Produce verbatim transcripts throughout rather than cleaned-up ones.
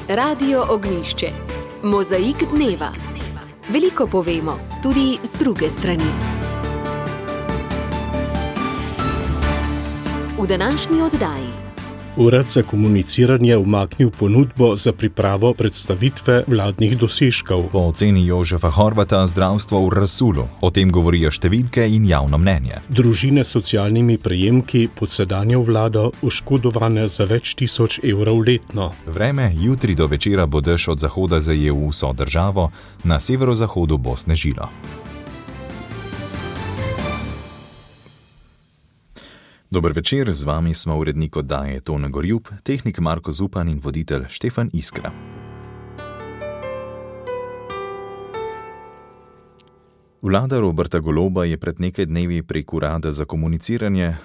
Radio Ognjišče. Mozaik dneva. Veliko povemo, tudi z druge strani. V današnji oddaji. Urad za komuniciranje umaknil ponudbo za pripravo predstavitve vladnih dosežkov. Po oceni Jožefa Horvata zdravstvo v razsulu. O tem govorijo številke in javno mnenje. Družine s socialnimi prejemki pod sedanjo vlado oškodovane za več tisoč evrov letno. Vreme, jutri do večera bo dež od zahoda zajel vso državo, na severozahodu bo snežilo. Dober večer, z vami smo urednik oddaje Tone Gorjup, tehnik Marko Zupan in voditelj Štefan Iskra. Vlada Roberta Goloba je pred nekaj dnevi prek Urada za komuniciranje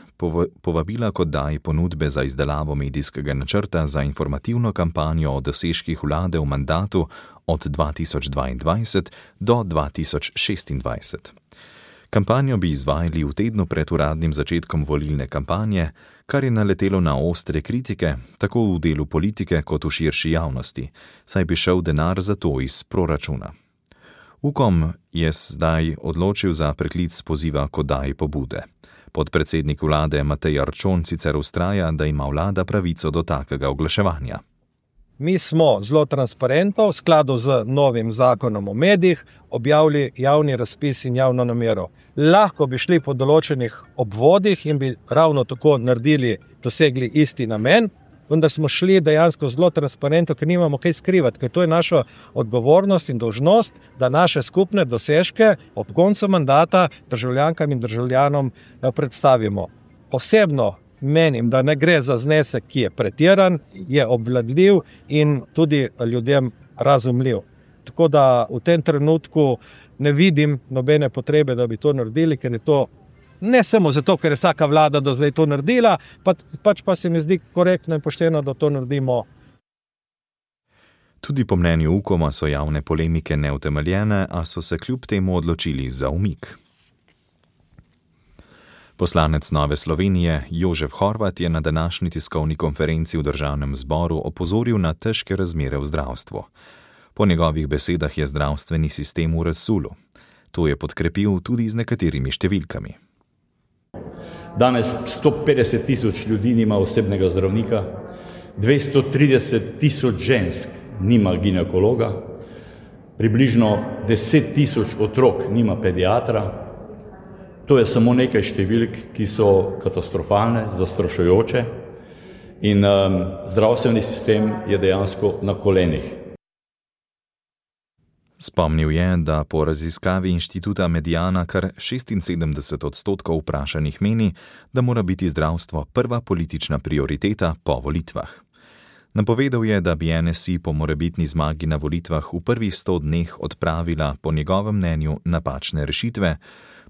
povabila k oddaji ponudbe za izdelavo medijskega načrta za informativno kampanjo o dosežkih vlade v mandatu od dva tisoč dvaindvajset do dva tisoč šestindvajset. Kampanjo bi izvajali v tednu pred uradnim začetkom volilne kampanje, kar je naletelo na ostre kritike, tako v delu politike kot v širši javnosti, saj bi šel denar za to iz proračuna. Ukom je zdaj odločil za preklic poziva k oddaji pobude. Podpredsednik vlade Matej Arčon sicer vztraja, da ima vlada pravico do takega oglaševanja. Mi smo zelo transparentno, v skladu z novim zakonom o medijih, objavili javni razpis in javno namero. Lahko bi šli po določenih obvodih in bi ravno tako naredili, dosegli isti namen, vendar smo šli dejansko zelo transparentno, ker nimamo kaj skrivati, ker to je naša odgovornost in dolžnost, da naše skupne dosežke ob koncu mandata državljankam in državljanom predstavimo. Osebno menim, da ne gre za znesek, ki je pretiran, je obvladljiv in tudi ljudem razumljiv. Tako da v tem trenutku ne vidim nobene potrebe, da bi to naredili, ker je to ne samo zato, ker je vsaka vlada do zdaj to naredila, pa, pač pa se mi zdi korektno in pošteno, da to naredimo. Tudi po mnenju Ukoma so javne polemike neutemeljene, a so se kljub temu odločili za umik. Poslanec Nove Slovenije Jožef Horvat je na današnji tiskovni konferenci v državnem zboru opozoril na težke razmere v zdravstvu. Po njegovih besedah je zdravstveni sistem v razsulu. To je podkrepil tudi z nekaterimi številkami. Danes sto petdeset tisoč ljudi nima osebnega zdravnika, dvesto trideset tisoč žensk nima ginekologa, približno deset tisoč otrok nima pediatra. To je samo nekaj številk, ki so katastrofalne, zastrašujoče in um, zdravstveni sistem je dejansko na kolenih. Spomnil je, da po raziskavi inštituta Mediana kar šestinsedemdeset odstotkov vprašanih meni, da mora biti zdravstvo prva politična prioriteta po volitvah. Napovedal je, da bi N S I po morebitni zmagi na volitvah v prvih sto dneh odpravila po njegovem mnenju napačne rešitve,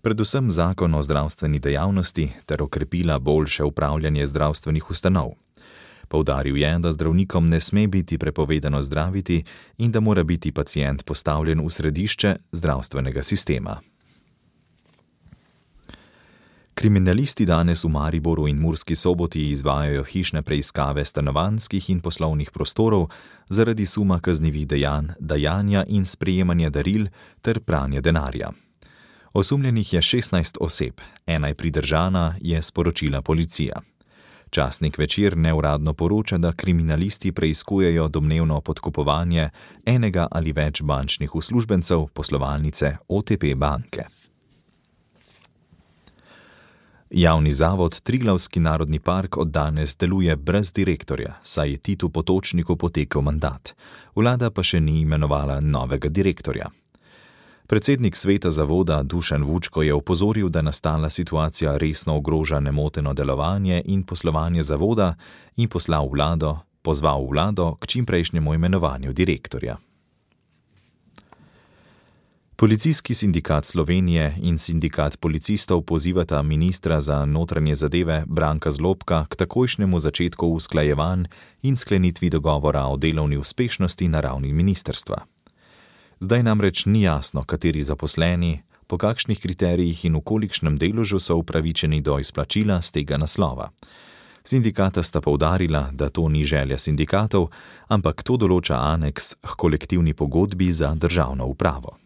predvsem zakon o zdravstveni dejavnosti ter okrepila boljše upravljanje zdravstvenih ustanov. Poudaril je, da zdravnikom ne sme biti prepovedano zdraviti in da mora biti pacient postavljen v središče zdravstvenega sistema. Kriminalisti danes v Mariboru in Murski Soboti izvajajo hišne preiskave stanovanjskih in poslovnih prostorov zaradi suma kaznivih dejanj, dajanja in sprejemanja daril ter pranja denarja. Osumljenih je šestnajst oseb, ena je pridržana, je sporočila policija. Časnik Večer neuradno poroča, da kriminalisti preiskujejo domnevno podkupovanje enega ali več bančnih uslužbencev poslovalnice O T P banke. Javni zavod Triglavski narodni park od danes deluje brez direktorja, saj je Titu Potočniku potekel mandat. Vlada pa še ni imenovala novega direktorja. Predsednik sveta zavoda Dušan Vučko je opozoril, da nastala situacija resno ogroža nemoteno delovanje in poslovanje zavoda in poslal vlado, pozval vlado k čimprejšnjemu imenovanju direktorja. Policijski sindikat Slovenije in sindikat policistov pozivata ministra za notranje zadeve Branka Zlobka k takojšnjemu začetku usklajevanj in sklenitvi dogovora o delovni uspešnosti na ravni ministrstva. Zdaj namreč ni jasno, kateri zaposleni, po kakšnih kriterijih in v kolikšnem deležu so upravičeni do izplačila z tega naslova. Sindikata sta poudarila, da to ni želja sindikatov, ampak to določa aneks k kolektivni pogodbi za državno upravo.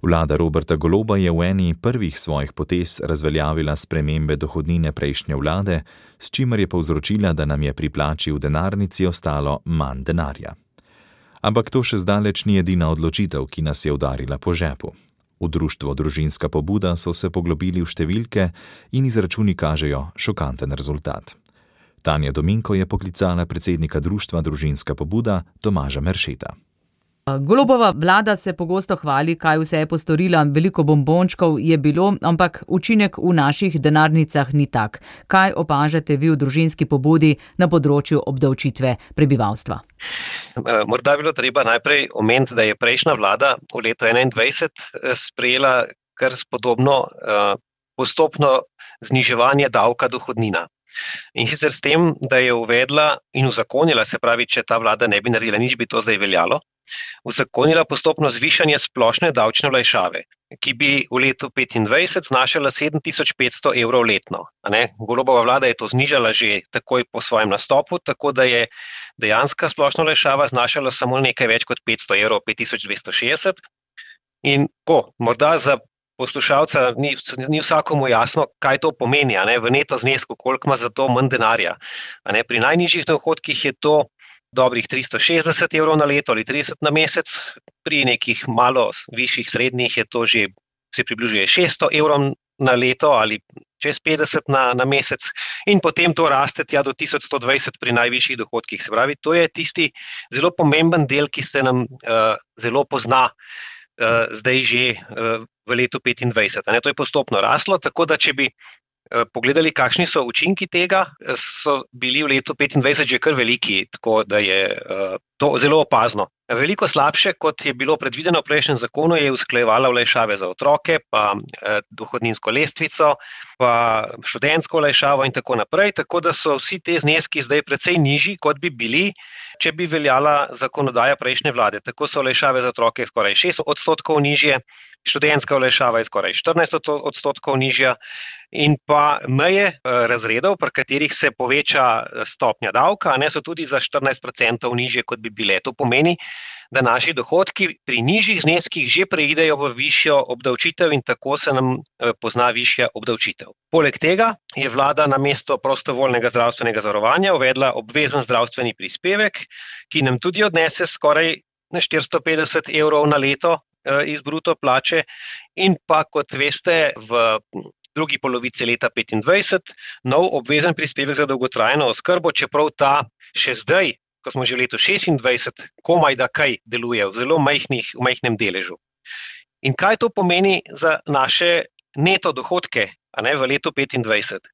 Vlada Roberta Goloba je v eni prvih svojih potez razveljavila spremembe dohodnine prejšnje vlade, s čimer je povzročila, da nam je pri plači v denarnici ostalo manj denarja. Ampak to še zdaleč ni edina odločitev, ki nas je udarila po žepu. V društvo Družinska pobuda so se poglobili v številke in izračuni kažejo šokanten rezultat. Tanja Dominko je poklicala predsednika društva Družinska pobuda Tomaža Meršeta. Golobova vlada se pogosto hvali, kaj vse je postorila, veliko bombončkov je bilo, ampak učinek v naših denarnicah ni tak. Kaj opažate vi v Družinski pobudi na področju obdavčitve prebivalstva? Morda bi bilo treba najprej omeniti, da je prejšnja vlada v letu enaindvajset sprejela kar spodobno postopno zniževanje davka dohodnina. In sicer s tem, da je uvedla in uzakonila, se pravi, če ta vlada ne bi naredila nič, bi to zdaj veljalo, uzakonila postopno zvišanje splošne davčne olajšave, ki bi v letu petindvajset znašala sedem tisoč petsto evrov letno. Golobova vlada je to znižala že takoj po svojem nastopu, tako da je dejanska splošna olajšava znašala samo nekaj več kot petsto evrov, pet tisoč dvesto šestdeset. In ko, morda za poslušalca ni, ni vsakomu jasno, kaj to pomeni, a ne, v neto znesku, koliko ima za to manj denarja. A ne, pri najnižjih dohodkih je to dobrih tristo šestdeset evrov na leto ali trideset na mesec, pri nekih malo višjih srednjih je to že, se približuje šeststo evrov na leto ali čez petdeset na, na mesec in potem to raste tja do tisoč sto dvajset pri najvišjih dohodkih. Se pravi, to je tisti zelo pomemben del, ki se nam uh, zelo pozna uh, zdaj že uh, v letu petindvajset. A ne, to je postopno raslo, tako da če bi pogledali, kakšni so učinki tega, so bili v letu petindvajset že kar veliki, tako da je to zelo opazno. Veliko slabše, kot je bilo predvideno v prejšnjem zakonu, je usklajevala olajšave za otroke, pa dohodninsko lestvico, pa študentsko olajšavo in tako naprej, tako da so vsi te zneski zdaj precej nižji, kot bi bili, če bi veljala zakonodaja prejšnje vlade. Tako so olajšave za otroke skoraj šest odstotkov nižje, študentska olajšava je skoraj štirinajst odstotkov nižja in pa meje razredov, pri katerih se poveča stopnja davka, ne, so tudi za štirinajst procentov nižje, kot bi bile. To pomeni, da naši dohodki pri nižjih zneskih že preidejo v višjo obdavčitev in tako se nam pozna višja obdavčitev. Poleg tega je vlada namesto prostovoljnega zdravstvenega zavarovanja uvedla obvezen zdravstveni prispevek, ki nam tudi odnese skoraj štiristo petdeset evrov na leto iz bruto plače in pa, kot veste, v drugi polovici leta petindvajset nov obvezen prispevek za dolgotrajno oskrbo, čeprav ta še zdaj, ko smo že v letu šestindvajset, komaj da kaj deluje v zelo majhnih, v majhnem deležu. In kaj to pomeni za naše neto dohodke, a ne, v letu petindvajset?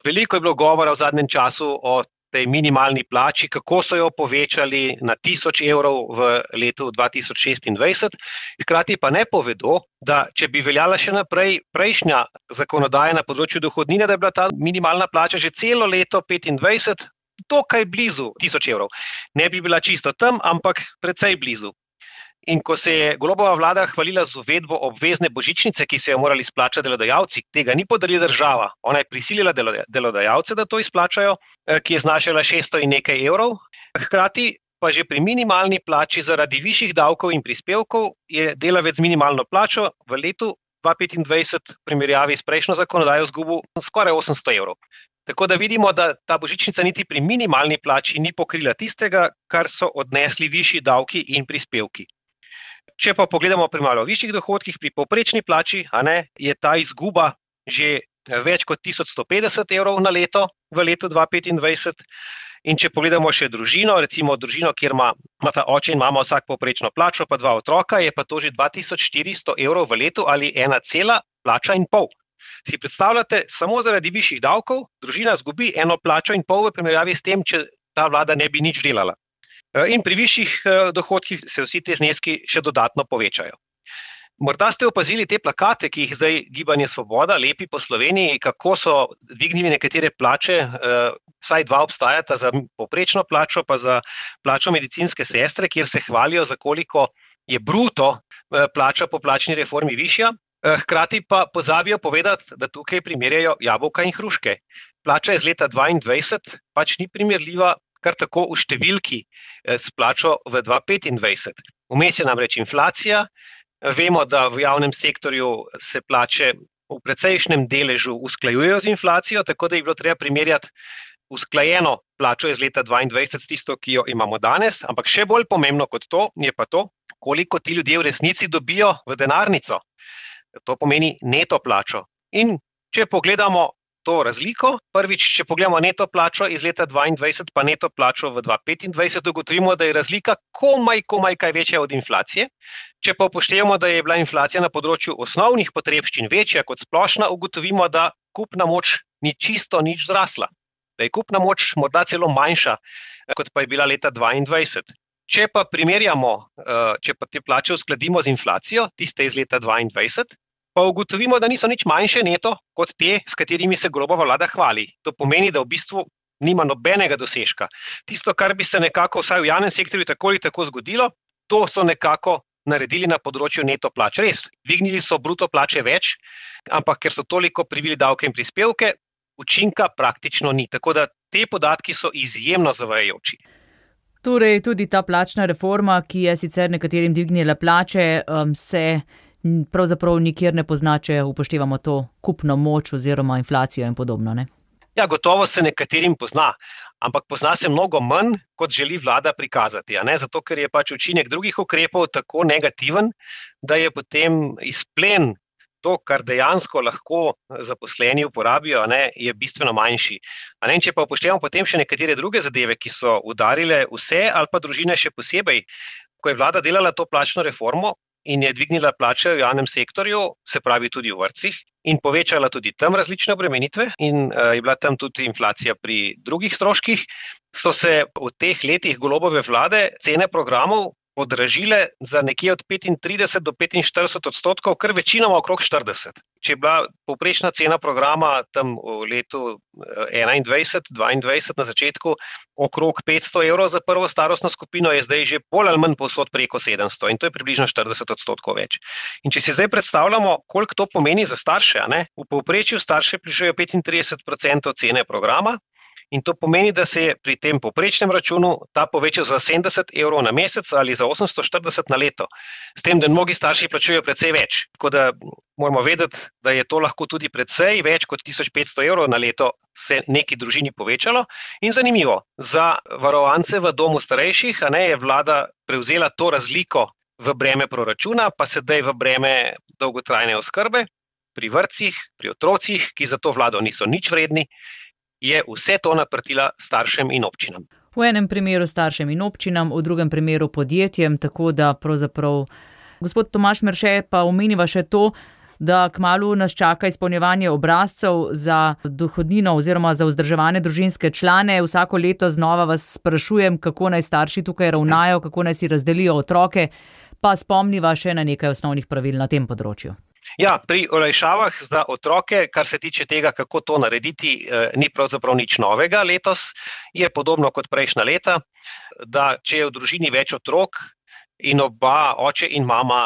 Veliko je bilo govora v zadnjem času o tej minimalni plači, kako so jo povečali na tisoč evrov v letu dva tisoč šestindvajset, hkrati pa ne povedo, da če bi veljala še naprej prejšnja zakonodaja na področju dohodnine, da je bila ta minimalna plača že celo leto petindvajset dokaj blizu tisoč evrov. Ne bi bila čisto tam, ampak precej blizu. In ko se je Golobova vlada hvalila z uvedbo obvezne božičnice, ki so jo morali izplačati delodajalci, tega ni podarila država. Ona je prisilila delodajalce, da to izplačajo, ki je znašala šeststo in nekaj evrov. Hkrati pa že pri minimalni plači zaradi višjih davkov in prispevkov je delavec z minimalno plačo v letu dva tisoč petindvajset v primerjavi s prejšnjo zakonodajo izgubil skoraj osemsto evrov. Tako da vidimo, da ta božičnica niti pri minimalni plači ni pokrila tistega, kar so odnesli višji davki in prispevki. Če pa pogledamo pri malo višjih dohodkih, pri povprečni plači, a ne, je ta izguba že več kot tisoč sto petdeset evrov na leto v letu dva tisoč petindvajset. In če pogledamo še družino, recimo družino, kjer ima, ima ta oče in mama vsak povprečno plačo, pa dva otroka, je pa to že dva tisoč štiristo evrov v letu ali ena cela plača in pol. Si predstavljate, samo zaradi višjih davkov družina izgubi eno plačo in pol v primerjavi s tem, če ta vlada ne bi nič delala. In pri višjih dohodkih se vsi te zneski še dodatno povečajo. Morda ste opazili te plakate, ki jih zdaj Gibanje Svoboda lepi po Sloveniji, kako so dvignili nekatere plače, vsaj dva obstajata za povprečno plačo, pa za plačo medicinske sestre, kjer se hvalijo, za koliko je bruto plača po plačni reformi višja. Hkrati pa pozabijo povedati, da tukaj primerjajo jabolka in hruške. Plača iz leta dvaindvajset pač ni primerljiva kar tako v številki s plačo v dva tisoč petindvajset. Vmes je namreč inflacija, vemo, da v javnem sektorju se plače v precejšnjem deležu usklajujejo z inflacijo, tako da je bilo treba primerjati usklajeno plačo iz leta dvaindvajset s tisto, ki jo imamo danes, ampak še bolj pomembno kot to je pa to, koliko ti ljudje v resnici dobijo v denarnico. To pomeni neto plačo. In če pogledamo to razliko, prvič, če pogledamo neto plačo iz leta dvaindvajset pa neto plačo v dva tisoč petindvajset, ugotovimo, da je razlika komaj, komaj kaj večja od inflacije. Če pa upoštevamo, da je bila inflacija na področju osnovnih potrebščin večja kot splošna, ugotovimo, da kupna moč ni čisto nič zrasla. Da je kupna moč morda celo manjša, kot pa je bila leta dvaindvajset. Če pa primerjamo, če pa te plače uskladimo z inflacijo, tiste iz leta dvaindvajset, pa ugotovimo, da niso nič manjše neto kot te, s katerimi se Golobova vlada hvali. To pomeni, da v bistvu nima nobenega dosežka. Tisto, kar bi se nekako vsaj v javnem sektorju tako ali tako zgodilo, to so nekako naredili na področju neto plač. Res, dvignili so bruto plače več, ampak ker so toliko privili davke in prispevke, učinka praktično ni. Tako da te podatki so izjemno zavajajoči. Torej, tudi ta plačna reforma, ki je sicer nekaterim dvignila plače, se pravzaprav nikjer ne pozna, če upoštevamo to kupno moč oziroma inflacijo in podobno, ne? Ja, gotovo se nekaterim pozna, ampak pozna se mnogo manj, kot želi vlada prikazati, a ne? Zato, ker je pač učinek drugih ukrepov tako negativen, da je potem izplen to, kar dejansko lahko zaposleni uporabijo, a ne, je bistveno manjši. A ne, če pa upoštevamo potem še nekatere druge zadeve, ki so udarile vse ali pa družine še posebej, ko je vlada delala to plačno reformo, in je dvignila plače v javnem sektorju, se pravi tudi v vrtcih, in povečala tudi tam različne obremenitve in uh, je bila tam tudi inflacija pri drugih stroških, so se v teh letih Golobove vlade cene programov podražile za nekje od petintrideset do petinštirideset odstotkov, kar večinoma okrog štirideset. Če je bila povprečna cena programa tam v letu enaindvajset dvaindvajset na začetku okrog petsto evrov za prvo starostno skupino, je zdaj že bolj ali manj povsod preko sedemsto in to je približno štirideset odstotkov več. In če si zdaj predstavljamo, koliko to pomeni za starše, a ne? V povprečju starše plačujejo petintrideset odstotkov cene programa, in to pomeni, da se je pri tem povprečnem računu ta povečal za sedemdeset evrov na mesec ali za osemsto štirideset na leto. S tem, da mnogi starši plačujejo precej več. Tako da moramo vedeti, da je to lahko tudi precej več kot tisoč petsto evrov na leto se neki družini povečalo. In zanimivo, za varovance v domu starejših, a ne, je vlada prevzela to razliko v breme proračuna, pa sedaj v breme dolgotrajne oskrbe pri vrtcih, pri otrocih, ki za to vlado niso nič vredni, je vse to naprtila staršem in občinam. V enem primeru staršem in občinam, v drugem primeru podjetjem, tako da pravzaprav. Gospod Tomaž Merše, pa omeniva še to, da kmalu nas čaka izpolnjevanje obrazcev za dohodnino oziroma za vzdrževane družinske člane. Vsako leto znova vas sprašujem, kako naj starši tukaj ravnajo, kako naj si razdelijo otroke, pa spomniva še na nekaj osnovnih pravil na tem področju. Ja, pri olajšavah za otroke, kar se tiče tega, kako to narediti, ni pravzaprav nič novega letos. Je podobno kot prejšnja leta, da če je v družini več otrok in oba, oče in mama,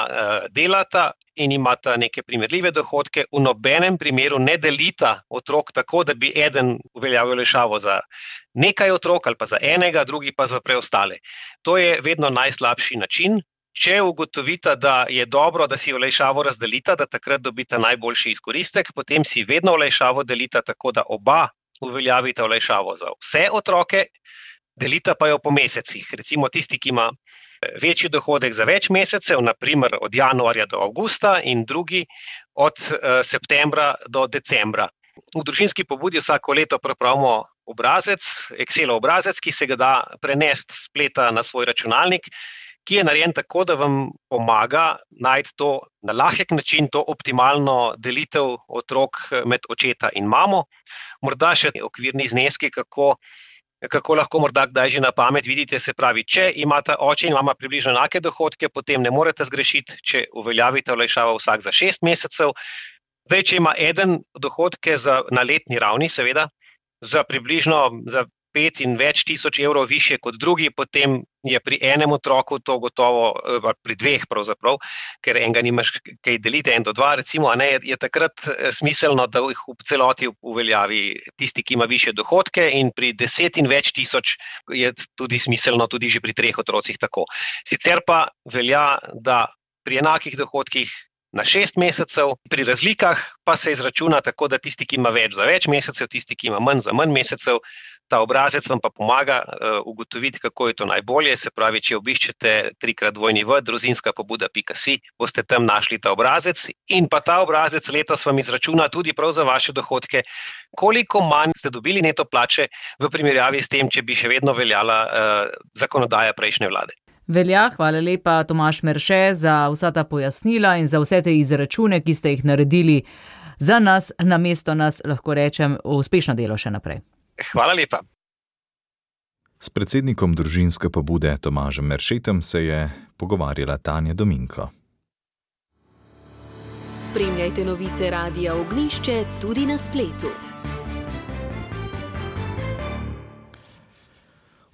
delata in imata neke primerljive dohodke, v nobenem primeru ne delita otrok tako, da bi eden uveljavil olajšavo za nekaj otrok ali pa za enega, drugi pa za preostale. To je vedno najslabši način. Če ugotovita, da je dobro, da si olajšavo razdelita, da takrat dobita najboljši izkoristek, potem si vedno olajšavo delita tako, da oba uveljavita olajšavo za vse otroke, delita pa jo po mesecih. Recimo tisti, ki ima večji dohodek za več mesecev, na primer od januarja do avgusta in drugi od uh, septembra do decembra. V družinski pobudi vsako leto pripravimo obrazec, Excelov obrazec, ki se ga da prenesti s spleta na svoj računalnik, ki je narejen tako, da vam pomaga najti to na lahek način, to optimalno delitev otrok med očeta in mamo. Morda še okvirni zneski, kako, kako lahko morda kdaj že na pamet vidite, se pravi, če imata oče in mama približno enake dohodke, potem ne morete zgrešiti, če uveljavite olajšavo vsak za šest mesecev. Zdaj, če ima eden dohodke za, na letni ravni, seveda, za približno za pet in več tisoč evrov više kot drugi, potem je pri enem otroku to gotovo, pri dveh pravzaprav, ker enega nimaš kaj deliti, en do dva recimo, a ne, je takrat smiselno, da jih v celoti uveljavi tisti, ki ima više dohodke, in pri deset in več tisoč je tudi smiselno tudi že pri treh otrocih tako. Sicer pa velja, da pri enakih dohodkih na šest mesecev, pri razlikah pa se izračuna tako, da tisti, ki ima več za več mesecev, tisti, ki ima manj za manj mesecev, ta obrazec vam pa pomaga uh, ugotoviti, kako je to najbolje. Se pravi, če obiščete trikrat dvojni v družinska pobuda pika si, boste tam našli ta obrazec in pa ta obrazec letos vam izračuna tudi prav za vaše dohodke, koliko manj ste dobili neto plače v primerjavi s tem, če bi še vedno veljala uh, zakonodaja prejšnje vlade. Velja, hvala lepa Tomaž Merše za vsa ta pojasnila in za vse te izračune, ki ste jih naredili za nas, namesto nas, lahko rečem, uspešno delo še naprej. Hvala lepa. S predsednikom družinske pobude Tomažem Meršetem se je pogovarjala Tanja Dominko. Spremljajte novice Radia Ognjišče tudi na spletu.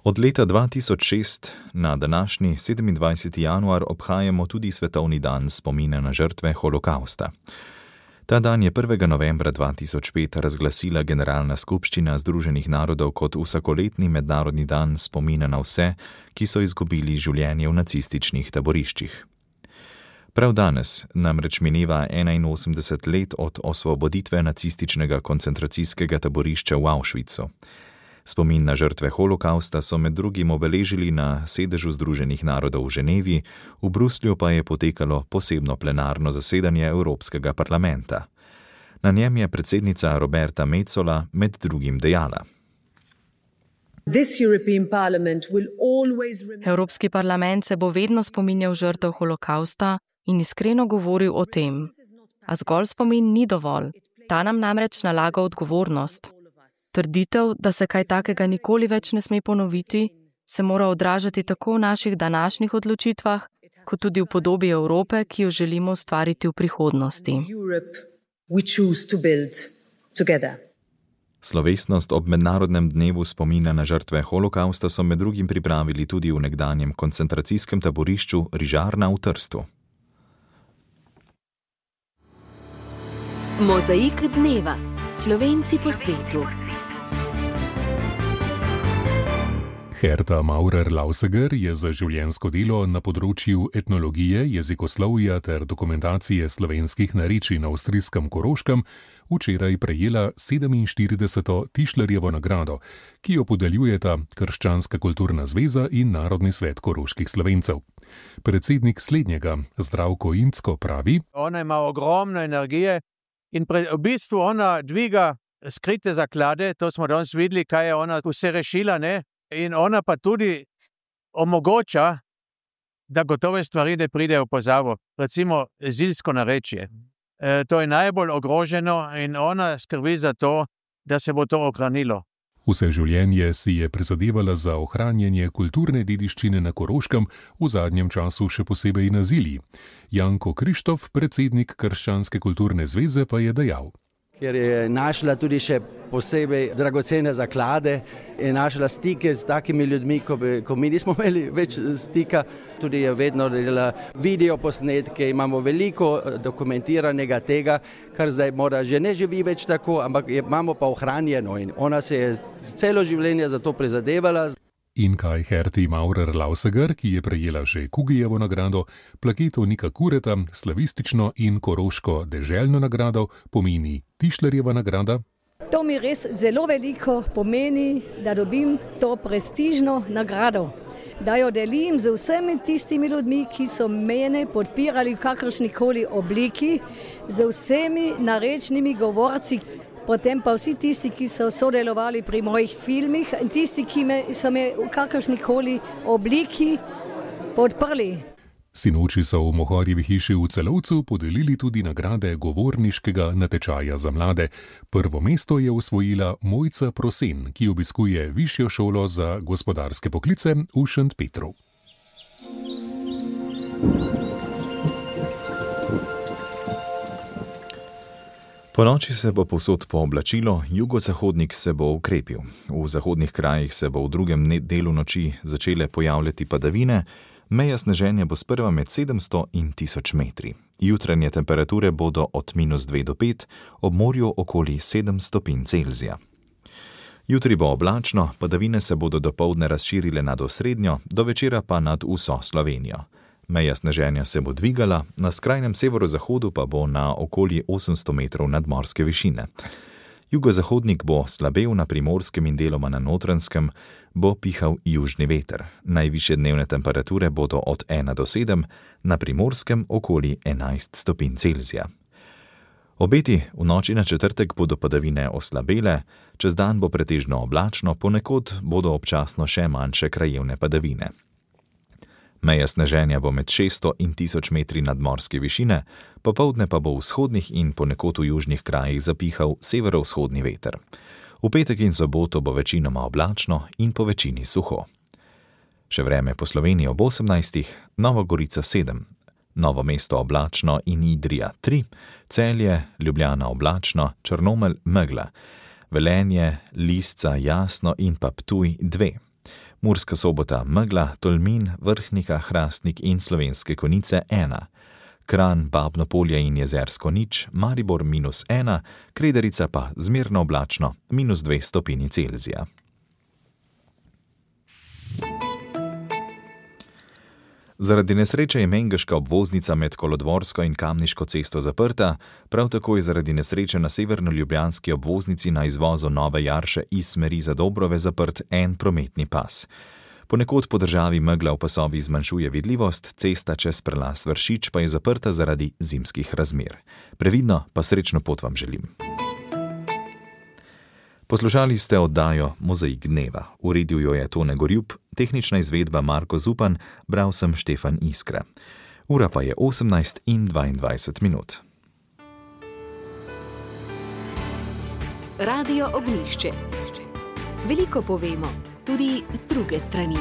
Od leta dva tisoč šest na današnji sedemindvajseti januar obhajamo tudi Svetovni dan spomina na žrtve holokausta. Ta dan je prvega novembra dva tisoč pet razglasila Generalna skupščina Združenih narodov kot vsakoletni mednarodni dan spomina na vse, ki so izgubili življenje v nacističnih taboriščih. Prav danes namreč mineva enainosemdeset let od osvoboditve nacističnega koncentracijskega taborišča v Auschwitzu. Spomin na žrtve holokausta so med drugim obeležili na sedežu Združenih narodov v Ženevi, v Bruslju pa je potekalo posebno plenarno zasedanje Evropskega parlamenta. Na njem je predsednica Roberta Metsola med drugim dejala: Evropski parlament se bo vedno spominjal žrtev holokausta in iskreno govoril o tem. A zgolj spomin ni dovolj, ta nam namreč nalaga odgovornost. Trditev, da se kaj takega nikoli več ne sme ponoviti, se mora odražati tako v naših današnjih odločitvah, kot tudi v podobi Evrope, ki jo želimo ustvariti v prihodnosti. Slovesnost ob mednarodnem dnevu spomina na žrtve holokausta so med drugim pripravili tudi v nekdanjem koncentracijskem taborišču Rižarna v Trstu. Mozaik dneva. Slovenci po svetu. Herta Maurer-Lauseger je za življenjsko delo na področju etnologije, jezikoslovja ter dokumentacije slovenskih narečij na avstrijskem Koroškem včeraj prejela sedeminštirideseto Tišlerjevo nagrado, ki jo podeljujeta Krščanska kulturna zveza in Narodni svet koroških Slovencev. Predsednik slednjega, Zdravko Incko, pravi: Ona ima ogromno energije in pre, v bistvu ona dviga skrite zaklade, to smo danes videli, kaj je ona vse rešila, ne? In ona pa tudi omogoča, da gotove stvari ne pridejo v pozabo. Recimo zilsko narečje. E, to je najbolj ogroženo in ona skrbi za to, da se bo to ohranilo. Vse življenje si je prizadevala za ohranjanje kulturne dediščine na Koroškem, v zadnjem času še posebej na Zilji. Janko Krištof, predsednik Krščanske kulturne zveze, pa je dejal: Ker je našla tudi še posebej dragocene zaklade in našla stike z takimi ljudmi, ko, bi, ko mi nismo imeli več stika. Tudi je vedno delala video posnetke, imamo veliko dokumentiranega tega, kar zdaj mora že ne živi več tako, ampak je, imamo pa ohranjeno in ona se je celo življenje za to prizadevala. In kaj Herti Maurer-Lauseger, ki je prejela že Kugijevo nagrado, plaketo Nika Kureta, slavistično in koroško deželno nagrado, pomeni Tišlerjeva nagrada? To mi res zelo veliko pomeni, da dobim to prestižno nagrado. Da jo delim z vsemi tistimi ljudmi, ki so mene podpirali v kakršnikoli obliki, z vsemi narečnimi govorci. Potem pa vsi tisti, ki so sodelovali pri mojih filmih in tisti, ki me, so me v kakršnikoli obliki podprli. Sinoči so v Mohorjevi hiši v Celovcu podelili tudi nagrade govorniškega natečaja za mlade. Prvo mesto je osvojila Mojca Prosen, ki obiskuje Višjo šolo za gospodarske poklice v Šentpetru. Po noči se bo povsod pooblačilo, jugozahodnik se bo ukrepil. V zahodnih krajih se bo v drugem delu noči začele pojavljati padavine, meja sneženja bo sprva med sedemsto in tisoč metri. Jutranje temperature bodo od minus dve do pet, ob morju okoli sedem stopinj Celzija. Jutri bo oblačno, padavine se bodo dopoldne razširile nad osrednjo, do večera pa nad vso Slovenijo. Meja sneženja se bo dvigala, na skrajnem severozahodu pa bo na okoli osemsto metrov nadmorske višine. Jugozahodnik bo slabel na Primorskem in deloma na Notranjskem, bo pihal južni veter. Najvišje dnevne temperature bodo od ena do sedem, na Primorskem okoli enajst stopinj Celzija. Obeti v noči na četrtek bodo padavine oslabele, čez dan bo pretežno oblačno, ponekod bodo občasno še manjše krajevne padavine. Meja sneženja bo med šeststo in tisoč metri nadmorske višine, popoldne pa bo v vzhodnih in ponekod v južnih krajih zapihal severovzhodni veter. V petek in soboto bo večinoma oblačno in po večini suho. Še vreme po Sloveniji ob osemnajstih, Nova Gorica sedem, Novo mesto oblačno in Idrija tri, Celje, Ljubljana oblačno, Črnomelj megla, Velenje, Lisca jasno in pa Ptuj dve. Murska Sobota megla, Tolmin, Vrhnika, Hrastnik in Slovenske Konjice ena, Kranj, Babno Polje in Jezersko nič, Maribor minus ena, Krederica pa zmerno oblačno, minus dve stopinji Celzija. Zaradi nesreče je mengeška obvoznica med Kolodvorsko in Kamniško cesto zaprta, prav tako je zaradi nesreče na severno-ljubljanski obvoznici na izvozu Nove Jarše iz smeri za Dobrove zaprt en prometni pas. Ponekod po državi megla v pasovih zmanjšuje vidljivost, cesta čez prelaz Vršič pa je zaprta zaradi zimskih razmer. Previdno pa srečno pot vam želim. Poslušali ste oddajo Mozaik dneva. Uredil jo je Tone Gorjup, tehnična izvedba Marko Zupan, bral sem Štefan Iskra. Ura pa je osemnajst in dvaindvajset minut. Radio Ognjišče. Veliko povemo, tudi z druge strani.